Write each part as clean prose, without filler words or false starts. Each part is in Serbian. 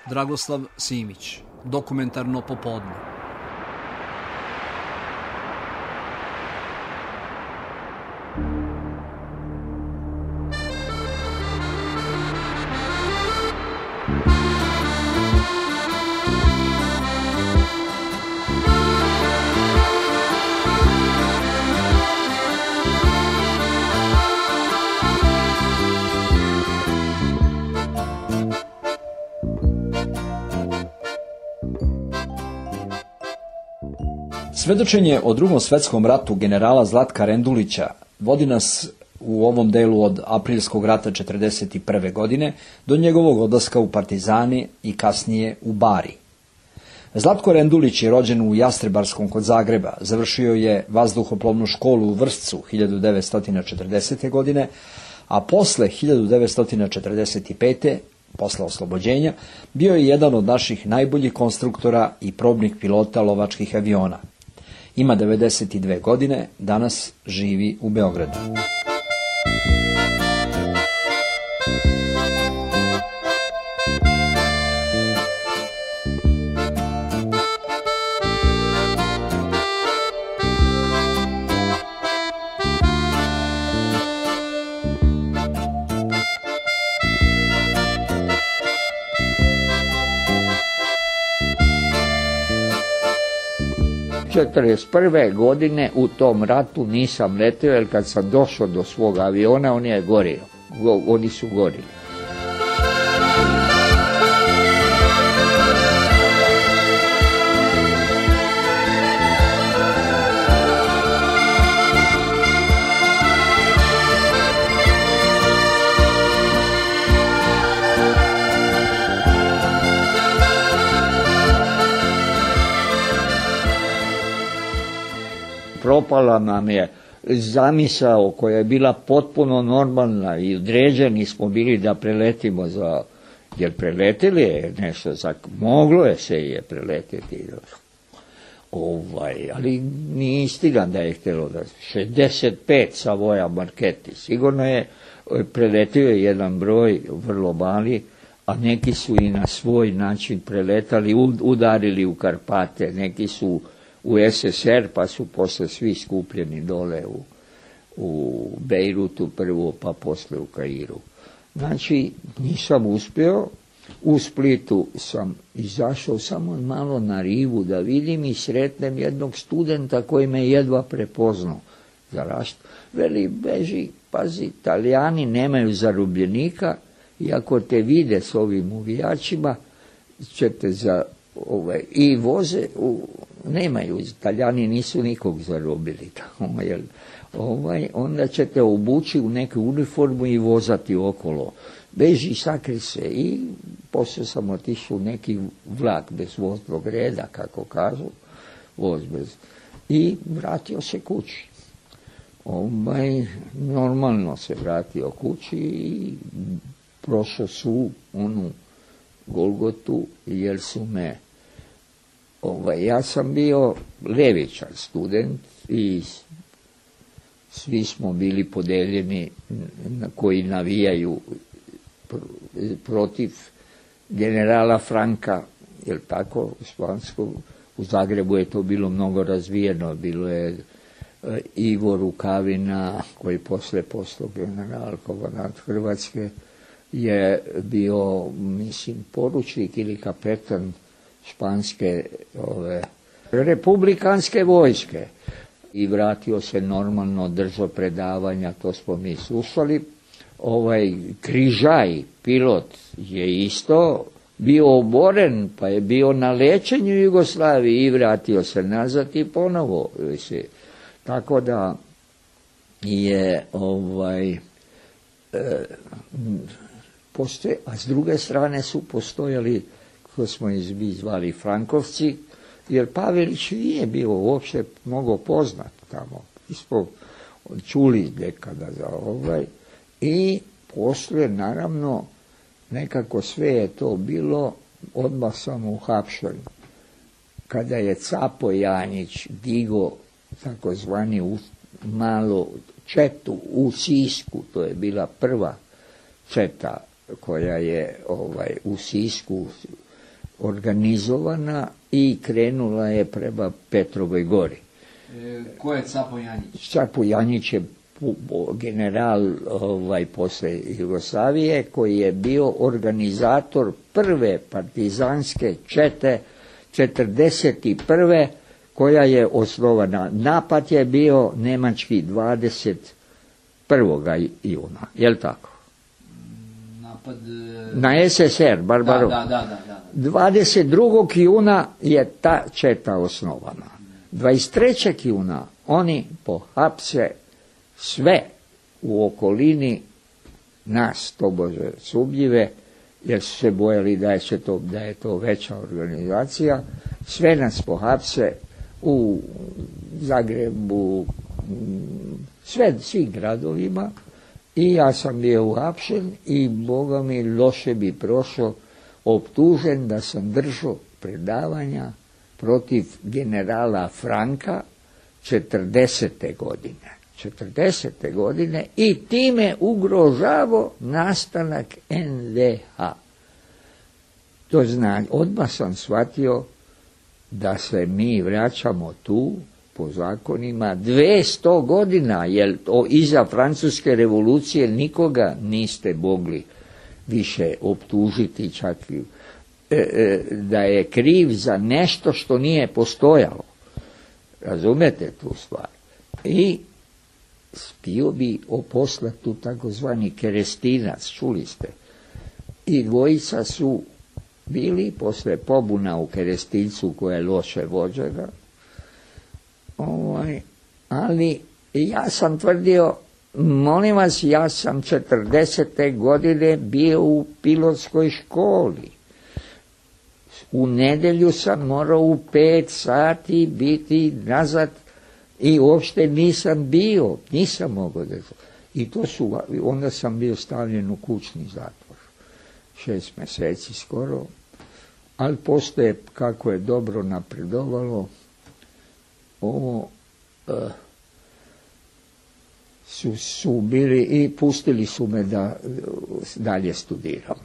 Dragoslav Simić, Dokumentarno popodne. Svedočenje o Drugom svetskom ratu generala Zlatka Rendulića vodi nas u ovom delu od aprilskog rata 1941. godine do njegovog odlaska u partizani i kasnije u Bari. Zlatko Rendulić je rođen u Jastrebarskom kod Zagreba, završio je vazduhoplovnu školu u Vršcu 1940. godine, a posle 1945. posle oslobođenja, bio je jedan od naših najboljih konstruktora i probnih pilota lovačkih aviona. Ima 92 godine, danas živi u Beogradu. U 1941. godine u tom ratu nisam letio, jer kad sam došao do svog aviona, on je gorio. Oni su gorili. Propala nam je zamisao koja je bila potpuno normalna i određeni smo bili da preletimo jer preletili je nešto, moglo je se je preletiti. Ali nije istina da je htjelo da 65 Savoja Marketi. Sigurno je preletio je jedan broj vrlo mali, a neki su i na svoj način preletali, udarili u Karpate, neki su u SSR, pa su posle svi skupljeni dole u Bejrutu prvo, pa posle u Kairu. Znači, nisam uspio. U Splitu sam izašao samo malo na rivu da vidim i sretnem jednog studenta koji me jedva prepoznao za rašt. Veli, beži, pazi, Italijani nemaju zarobljenika i ako te vide s ovim uvijačima, ćete i voze, nemaju, Italijani nisu nikog zarobili tamo, onda ćete obući u neku uniformu i vozati okolo. Beži, sakri se, i poslije sam otišao u neki vlak bez voznog reda, kako kažu, voz bez, i vratio se kući. Normalno se vratio kući i prošao su onu Golgotu, jer su me ja sam bio levičar student i svi smo bili podeljeni koji navijaju protiv generala Franka, jer tako, u Zagrebu je to bilo mnogo razvijeno, bilo je Ivo Rukavina, koji posle postao general komandant Hrvatske, je bio, mislim, poručnik ili kapetan španske republikanske vojske i vratio se normalno, držao predavanja, to smo mi slušali. Križaj, pilot, je isto bio oboren, pa je bio na lečenju u Jugoslaviji i vratio se nazad i ponovo. Tako da je a s druge strane su postojali, ko smo zvali Frankovci, jer Pavelić nije bio uopšte mnogo poznat tamo. Mi smo čuli nekada za i poslije, naravno, nekako sve je to bilo, odmah sam uhapšen. Kada je Capo Janjić digo takozvani malo četu u Sisku, to je bila prva četa koja je u Sisku organizovana i krenula je prema Petrovoj gori. Ko je Capo Janjić? Capo Janjić je general posle Jugoslavije koji je bio organizator prve partizanske čete 1941. koja je osnovana. Napad je bio nemački 21. juna, je li tako? Napad... Na SSR, Barbarov. Da. 22. juna je ta četa osnovana. 23. juna oni pohapse sve u okolini nas, tobože sumnjive, jer su se bojali da je to veća organizacija. Sve nas pohapse u Zagrebu, svim gradovima, i ja sam bio uhapšen i Boga mi loše bi prošao, optužen da sam držao predavanja protiv generala Franka 40. godine i time ugrožavao nastanak NDH. To znači, odmah sam shvatio da se mi vraćamo tu po zakonima 200 godina, jer iza Francuske revolucije nikoga niste mogli više optužiti, čak da je kriv za nešto što nije postojalo. Razumete tu stvar? I htio bi poslati tu takozvani kerestinac, čuli ste. I dvojica su bili posle pobuna u Kerestincu koja je loše vođena. Ali ja sam tvrdio, molim vas, ja sam 40. godine bio u pilotskoj školi. U nedjelju sam morao u 5 sati biti nazad i uopšte nisam mogao da... I onda sam bio stavljen u kućni zatvor. 6 mjeseci skoro. Ali postoje, kako je dobro napredovalo, ovo su bili i pustili su me da dalje studiram.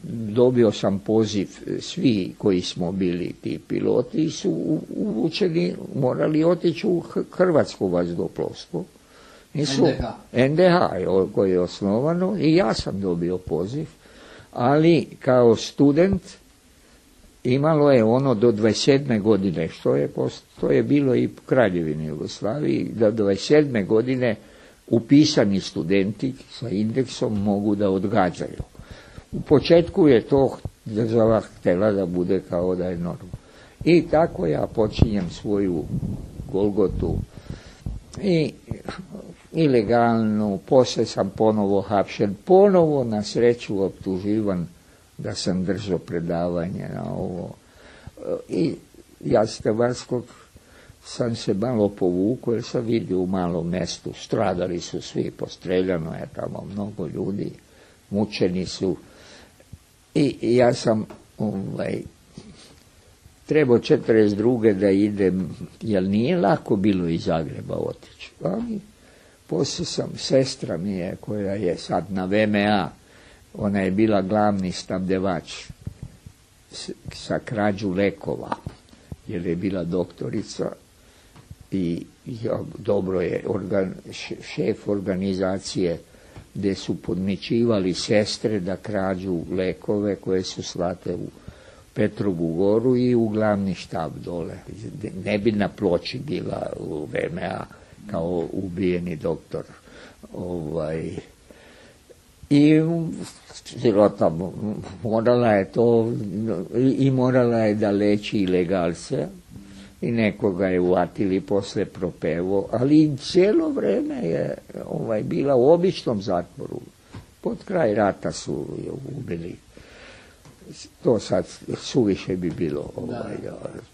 Dobio sam poziv, svi koji smo bili ti piloti su uvučeni, morali otići u hrvatsko vazduhoplovstvo. NDH koji je osnovano, i ja sam dobio poziv, ali kao student imalo je ono do 27. godine, što je bilo i u Kraljevini Jugoslaviji, da do 27. godine upisani studenti sa indeksom mogu da odgađaju. U početku je to država htjela da bude kao da je normalno. I tako ja počinjem svoju golgotu i ilegalnu, poslije sam ponovo hapšen, ponovo na sreću optuživan da sam držao predavanje na ovo. I ja s Hrvatskog sam se malo povukao, jer sam vidio u malom mjestu, stradali su svi, postreljano je tamo mnogo ljudi, mučeni su. I ja sam trebao 42. da idem, jer nije lako bilo iz Zagreba otići. Ali poslije sam, sestra mi je, koja je sad na VMA, ona je bila glavni snabdevač sa krađu lekova, jer je bila doktorica i dobro je šef organizacije gdje su podmićivali sestre da krađu lekove koje su slate u Petrovu goru i u glavni štab dole. Ne bi na ploči bila u VMA kao ubijeni doktor. I sirota morala je to, i morala je da leči ilegalce, i nekoga je uvatili posle propevo, ali cijelo vreme je bila u običnom zatvoru. Pod kraj rata su je ubili. To sad suviše bi bilo,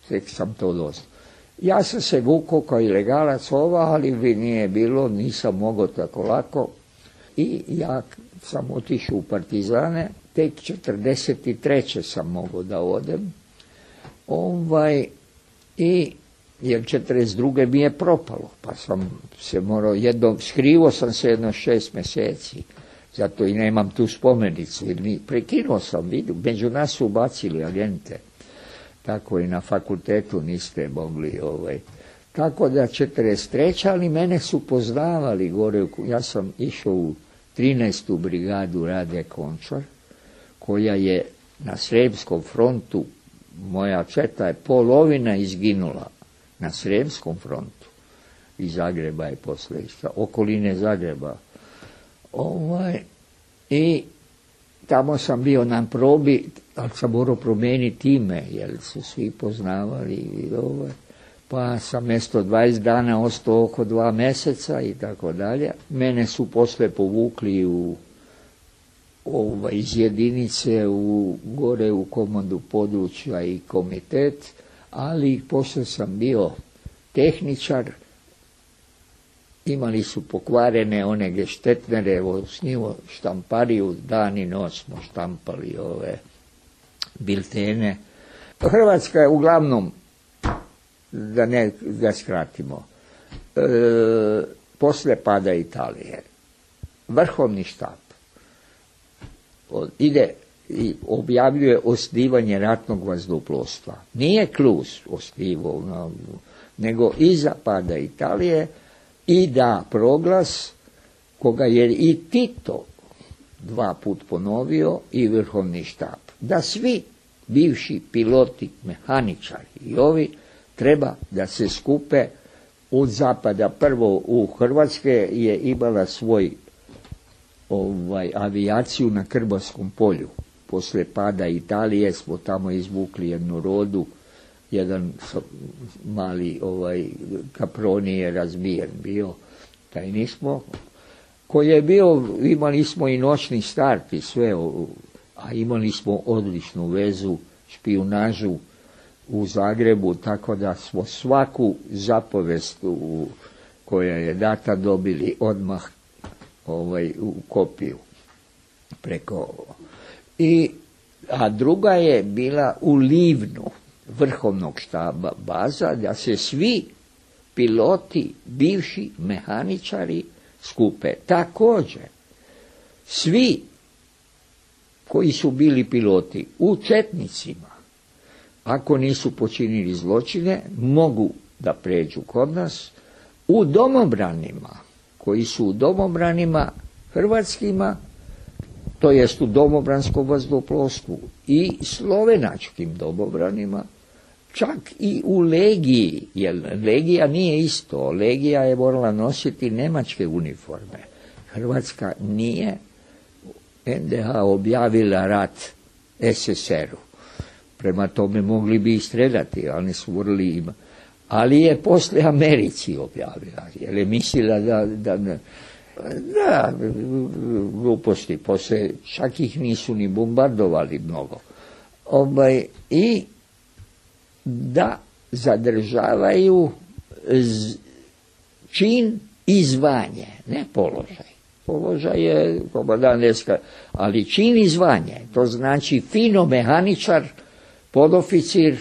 tek sam to dosta. Ja sam se vukao kao ilegalac ali nije bilo, nisam mogao tako lako, i ja sam otišao u partizane, tek 43. sam mogao da odem, i jer 42. mi je propalo, pa sam se morao skrivo sam se 6 mjeseci, zato i nemam tu spomenicu, jer prekinuo sam, među nas su ubacili agente, tako i na fakultetu niste mogli. Tako da 43. ali mene su poznavali gore, ja sam išao u 13. brigadu Rade Končar, koja je na Sremskom frontu, moja četa je polovina izginula na Sremskom frontu. Iz Zagreba je posle išla, okoline Zagreba. I tamo sam bio na probi, ali sam morao promijeniti ime, jer su svi poznavali. Pa sam mjesto 20 dana ostao oko 2 mjeseca i tako dalje. Mene su posle povukli iz jedinice gore u komandu područja i komitet, ali posle sam bio tehničar. Imali su pokvarene one geštetnere, s njima štampariju, dan i noć smo štampali ove biltene. Hrvatska je uglavnom, da skratimo, posle pada Italije, vrhovni štab ide i objavljuje osnivanje ratnog vazduhoplovstva. Nije Klus osnivao, nego iza pada Italije i da proglas koga je i Tito 2 put ponovio i vrhovni štab. Da svi bivši piloti, mehaničari i ovi treba da se skupe od zapada. Prvo u Hrvatske je imala svoj avijaciju na Krbavskom polju. Posle pada Italije smo tamo izvukli jednu rodu, jedan mali Caproni je razbijen bio, taj nismo, koji je bio, imali smo i noćni start i sve, a imali smo odličnu vezu, špijunažu u Zagrebu, tako da smo svaku zapovest koja je data dobili odmah u kopiju preko. A druga je bila u Livnu vrhovnog štaba baza, da se svi piloti, bivši mehaničari skupe. Također, svi koji su bili piloti u četnicima, ako nisu počinili zločine, mogu da pređu kod nas. U domobranima, koji su u domobranima hrvatskima, to jest u domobranskom vazduhoplovstvu i slovenačkim domobranima, čak i u legiji, jer legija nije isto, legija je morala nositi nemačke uniforme. Hrvatska nije NDH objavila rat SSR-u. Prema tome mogli bi ih streljati, ali su morali ima. Ali je posle Americi objavila, jer je mislila da gluposti, posle čak ih nisu ni bombardovali mnogo. I da zadržavaju čin i zvanje, ne položaj. Položaj je komandanteska, ali čin i zvanje, to znači fino mehaničar, podoficir,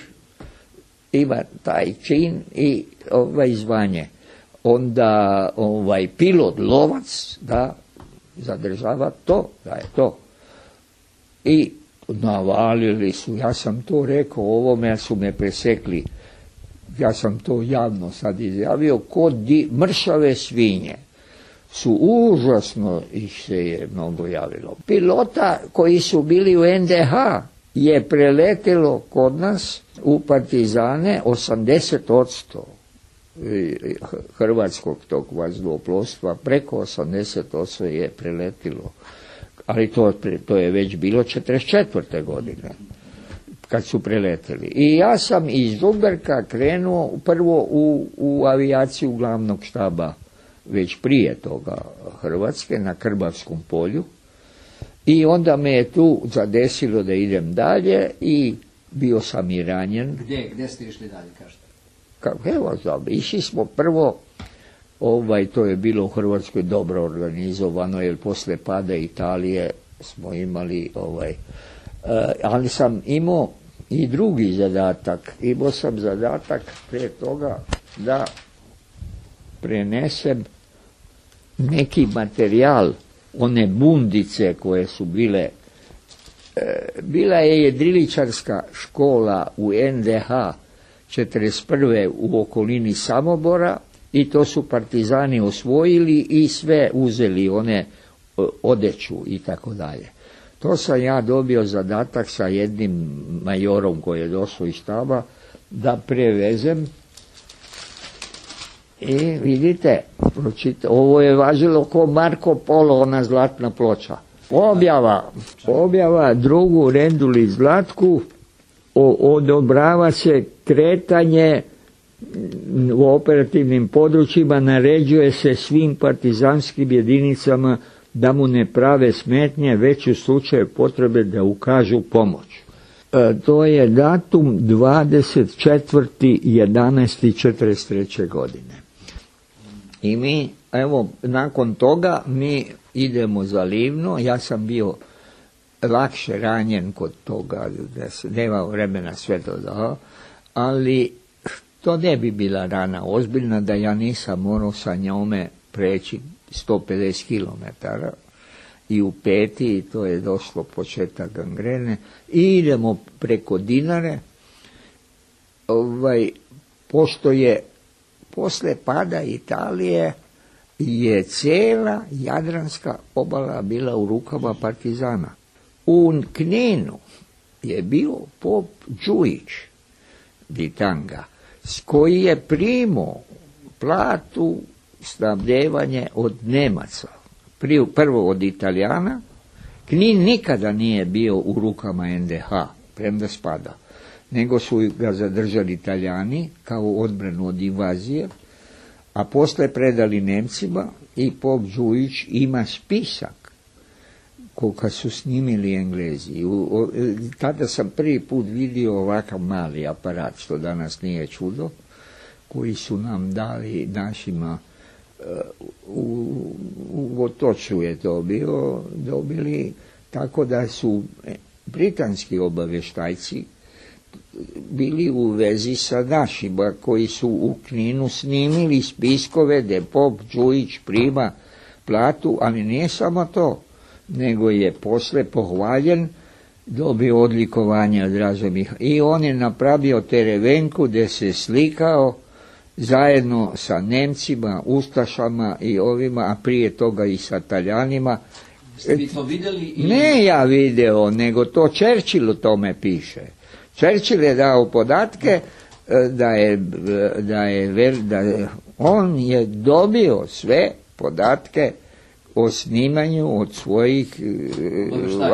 ima taj čin i zvanje. Onda pilot, lovac, da zadržava to, da je to. I navalili su, ja sam to rekao ovome, su me presekli, ja sam to javno sad izjavio, kod mršave svinje su užasno, ih se je mnogo javilo. Pilota koji su bili u NDH je preletelo kod nas u partizane 80% hrvatskog tog vazduhoplovstva, preko 80% je preletilo. Ali to je već bilo 44. godine kad su preleteli. I ja sam iz Žumberka krenuo prvo u avijaciju glavnog štaba već prije toga Hrvatske na Krbavskom polju. I onda me je tu zadesilo da idem dalje i bio sam i ranjen. Gdje ste išli dalje, kažete? Evo, išli smo prvo, to je bilo u Hrvatskoj dobro organizovano, jer posle pada Italije smo imali, ali sam imao i drugi zadatak. Imao sam zadatak prije toga da prenesem neki materijal, one bundice koje su bile Bila je jedriličarska škola u NDH 1941. u okolini Samobora i to su partizani osvojili i sve uzeli, one odeću i tako dalje. To sam ja dobio zadatak sa jednim majorom koji je došao iz štaba da prevezem. I vidite, ovo je važilo ko Marko Polo, ona zlatna ploča. Objava drugu Renduli Zlatku, odobrava se kretanje u operativnim područjima, naređuje se svim partizanskim jedinicama da mu ne prave smetnje, već u slučaju potrebe da ukažu pomoć. To je datum 24.11.43. godine. I mi, evo, nakon toga mi idemo za Livno. Ja sam bio lakše ranjen kod toga, da se nema vremena sve to dao, ali to ne bi bila rana ozbiljna da ja nisam morao sa njome preći 150 km i u peti, to je došlo početak gangrene, i idemo preko Dinare, pošto je posle pada Italije je cijela Jadranska obala bila u rukama partizana. U Kninu je bio pop Đujić Ditanga, s koji je primao platu, snabdevanje od Nemaca, prvo od Italijana. Knin nikada nije bio u rukama NDH, premda spada, nego su ga zadržali Italijani kao odbranu od invazije, a posle predali Nemcima i pop Đujić ima spisak koga su snimili Englezi. Tada sam prvi put vidio ovakav mali aparat, što danas nije čudo, koji su nam dali našima u Otoču je to dobili, tako da su britanski obavještajci bili u vezi sa našima koji su u Kninu snimili spiskove gdje pop Đujić prima platu, ali nije samo to, nego je posle pohvaljen, dobio odlikovanje od Razumih i on je napravio terevenku gdje se slikao zajedno sa Nemcima, Ustašama i ovima, a prije toga i sa Taljanima. Ste vi to vidjeli? Ne ja video, nego to Churchill o tome piše. Churchill je dao podatke da on je dobio sve podatke o snimanju od svojih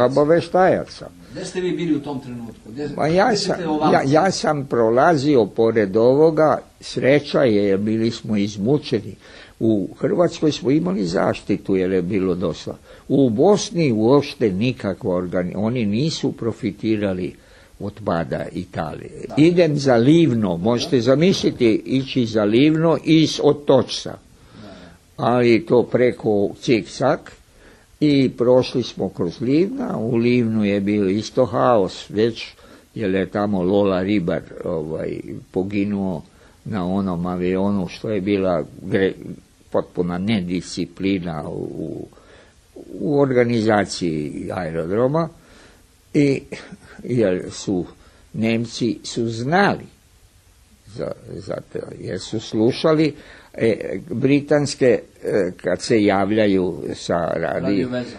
obaveštajaca. Gdje ste vi bili u tom trenutku? Ja sam prolazio pored ovoga, sreća je, bili smo izmučeni. U Hrvatskoj smo imali zaštitu jer je bilo dosta. U Bosni uopšte nikakva oni nisu profitirali od pada Italije. Da. Idem za Livno, možete zamisliti ići za Livno iz Otočca, ali to preko Cik-Cak i prošli smo kroz Livna. U Livnu je bio isto haos već, jer je tamo Lola Ribar poginuo na onom avionu, što je bila potpuna nedisciplina u organizaciji aerodroma, i jer su Nemci su znali za to, jer su slušali britanske kad se javljaju sa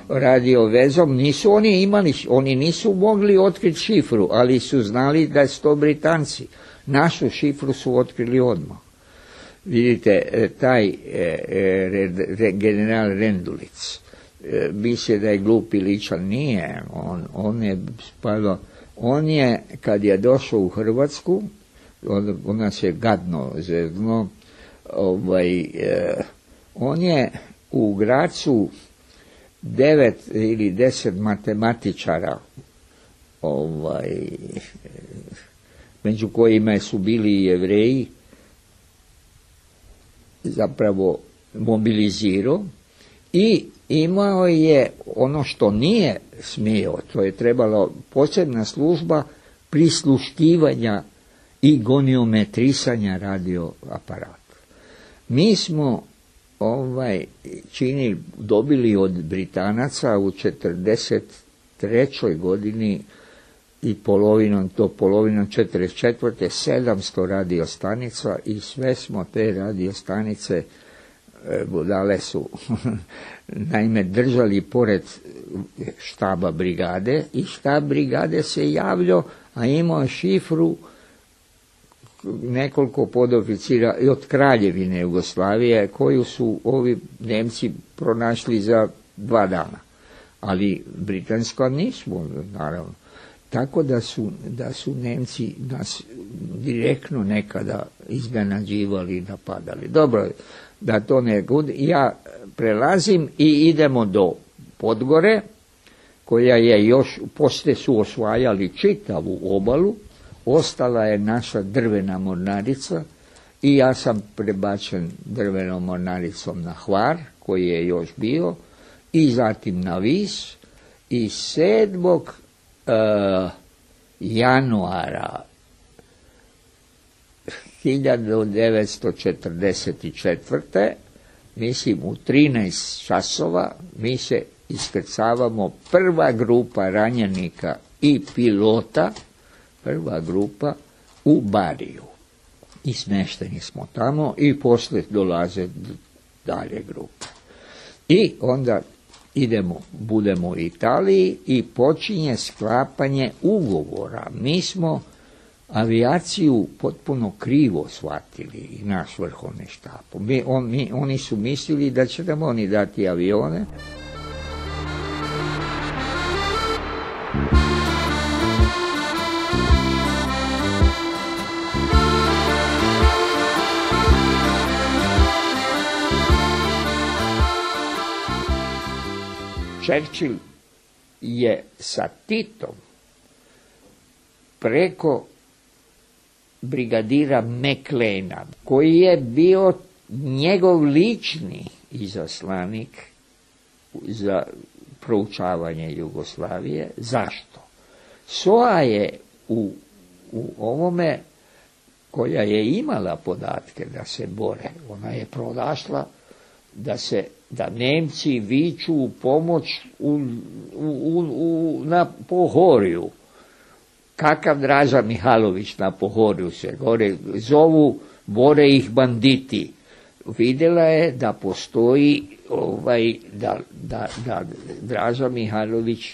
radiovezom, nisu oni imali, oni nisu mogli otkriti šifru, ali su znali da su to Britanci. Našu šifru su otkrili odmah. Vidite, taj general Rendulic, misle da je glup i ličan, nije, on je kad je došao u Hrvatsku, on nas je gadno zezno, on je u Gracu 9 ili 10 matematičara, među kojima su bili i Jevreji, zapravo mobilizirao i imao je ono što nije smio, to je trebalo posebna služba prisluškivanja i goniometrisanja radioaparata. Mi smo dobili od Britanaca u 1941. 43. godini i polovinom 44. 700 radiostanica i sve smo te radiostanice, budale su naime držali pored štaba brigade i štab brigade se javljao, a imao šifru nekoliko podoficira i od Kraljevine Jugoslavije koju su ovi Nemci pronašli za 2 dana. Ali britanska nismo, naravno. Tako da su Nemci nas direktno nekada iznenađivali i napadali. Dobro, da to ne bude. Ja prelazim i idemo do Podgore, koja je još, poslije su osvajali čitavu obalu, ostala je naša drvena mornarica i ja sam prebačen drvenom mornaricom na Hvar, koji je još bio, i zatim na Vis, i 7. januara 1944. mislim u 13 časova mi se iskrcavamo, prva grupa ranjenika i pilota, prva grupa u Bariju. I smešteni smo tamo i poslije dolaze dalje grupe. I onda budemo u Italiji i počinje sklapanje ugovora. Mi smo avijaciju potpuno krivo shvatili i naš vrhovni štab. Oni su mislili da će nam oni dati avione. Churchill je sa Titom preko brigadira McLeana, koji je bio njegov lični izaslanik za proučavanje Jugoslavije. Zašto? SOA je u ovome, koja je imala podatke da se bore, ona je pronašla da Nemci viču u pomoć na Pohorju. Kakav Draža Mihajlović na Pohorju se gore zovu, bore ih banditi. Vidjela je da postoji da Draža Mihajlović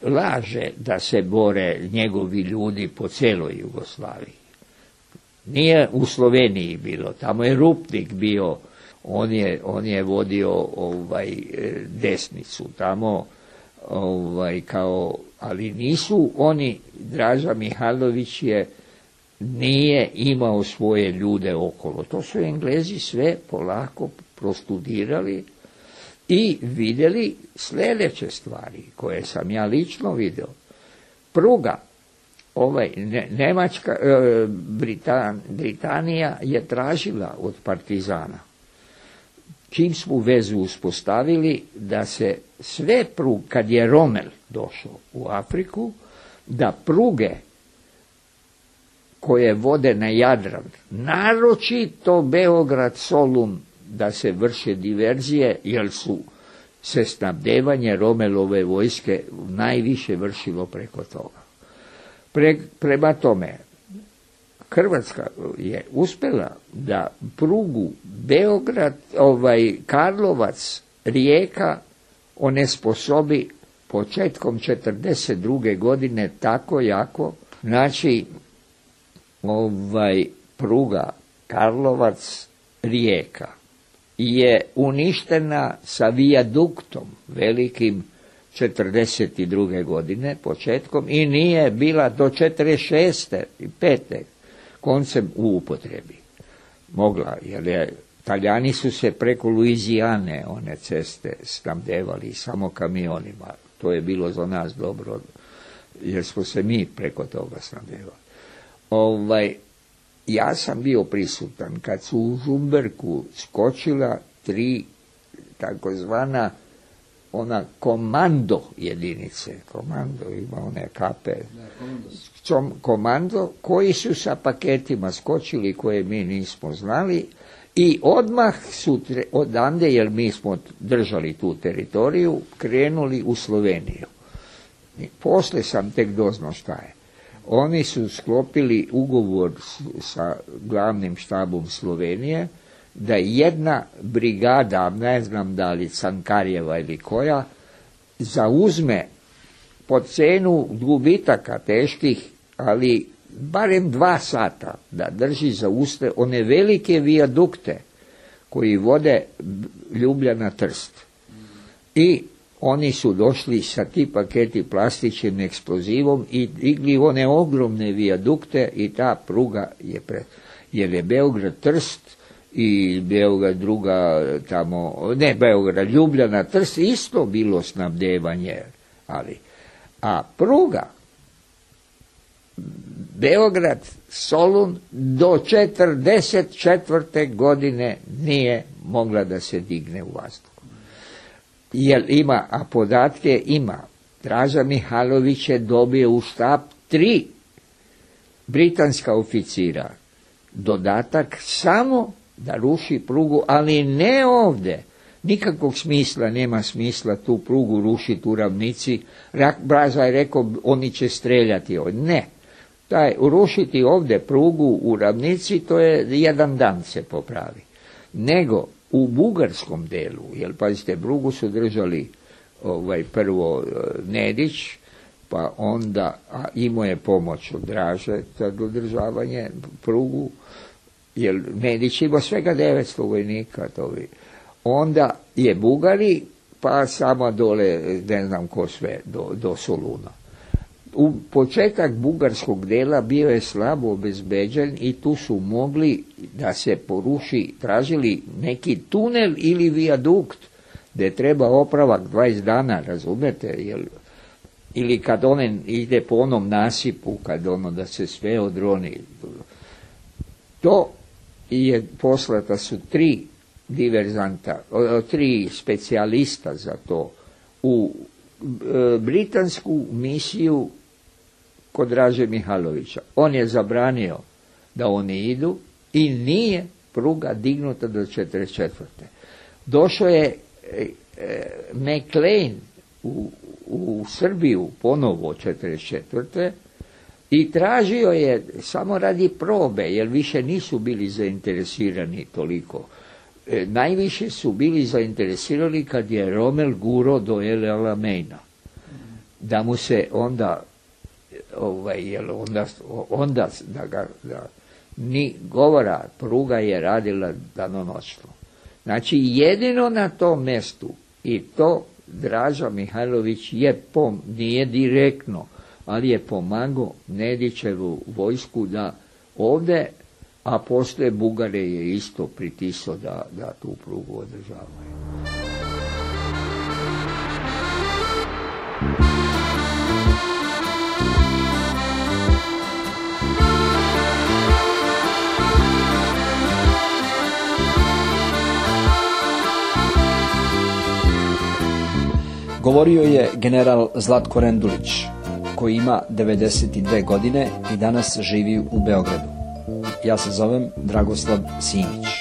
laže da se bore njegovi ljudi po cijeloj Jugoslaviji. Nije u Sloveniji bilo, tamo je Rupnik bio. On je vodio desnicu tamo, ali nisu oni, Draža Mihajlović nije imao svoje ljude okolo. To su Englezi sve polako prostudirali i vidjeli sljedeće stvari koje sam ja lično vidio. Pruga, Britanija je tražila od partizana, čim smo vezu uspostavili, da se sve pruge, kad je Rommel došao u Afriku, da pruge koje vode na Jadran, naročito Beograd-Solun, da se vrše diverzije, jer su se snabdevanje Rommelove vojske najviše vršilo preko toga. Prema tome, Hrvatska je uspjela da prugu Beograd, Karlovac, Rijeka onesposobi početkom 1942. godine tako jako. Znači, pruga Karlovac, Rijeka je uništena sa vijaduktom velikim 1942. godine početkom i nije bila do 1946. i 1945. koncem u upotrebi. Mogla, jer Talijani su se preko Luizijane one ceste snabdevali samo kamionima. To je bilo za nas dobro, jer smo se mi preko toga snabdevali. Ja sam bio prisutan kad su u Žumberku skočila 3 takozvana komando jedinice. Komando ima one kape. Komando koji su sa paketima skočili koje mi nismo znali i odmah su odande, jer mi smo držali tu teritoriju, krenuli u Sloveniju. Posle sam tek doznao šta je. Oni su sklopili ugovor sa glavnim štabom Slovenije da jedna brigada, ne znam da li Cankarjeva ili koja, zauzme po cenu gubitaka teških, ali barem 2 sata da drži za uste one velike vijadukte koji vode Ljubljana-Trst. I oni su došli sa ti paketi plastičnim eksplozivom i digli one ogromne vijadukte i ta pruga je jer je Beograd-Trst i Beograd druga tamo, ne Beograd, Ljubljana-Trst isto bilo snabdevanje, a pruga Beograd-Solun do 1944. godine nije mogla da se digne u vazduh. Jer ima, a podatke ima. Draža Mihajlović je dobio u štab 3 britanska oficira. Dodatak samo da ruši prugu, ali ne ovde. Nikakvog smisla, nema smisla tu prugu rušiti u ravnici. Braza je rekao, oni će streljati ovdje. Ne. Rušiti ovdje prugu u ravnici, to je 1 dan se popravi. Nego u bugarskom delu, jer pazite, prugu su držali prvo Nedić, pa onda imao je pomoć od Draže za dodržavanje prugu, jer Nedić ima svega 900 vojnika, onda je Bugari, pa samo dole, ne znam ko sve, do Soluna. U početak bugarskog dela bio je slabo obezbeđen i tu su mogli da se poruši, tražili neki tunel ili vijadukt gde treba opravak 20 dana, razumete, ili kad on ide po onom nasipu, kad da se sve odroni. To je poslata su 3 diverzanta, 3 specijalista za to u britansku misiju kod Draže Mihajlovića. On je zabranio da oni idu i nije pruga dignuta do 1944. Došao je McLean u Srbiju ponovo 1944. i tražio je samo radi probe, jer više nisu bili zainteresirani toliko. Najviše su bili zainteresirani kad je Rommel guro do El Alameina. Da mu se onda ni govora, pruga je radila danonoćno. Znači jedino na tom mjestu, i to Draža Mihajlović nije direktno, ali je pomagao Nedićevu vojsku da ovdje, a poslije Bugare je isto pritisao da tu prugu održavaju. Govorio je general Zlatko Rendulić, koji ima 92 godine i danas živi u Beogradu. Ja se zovem Dragoslav Simić.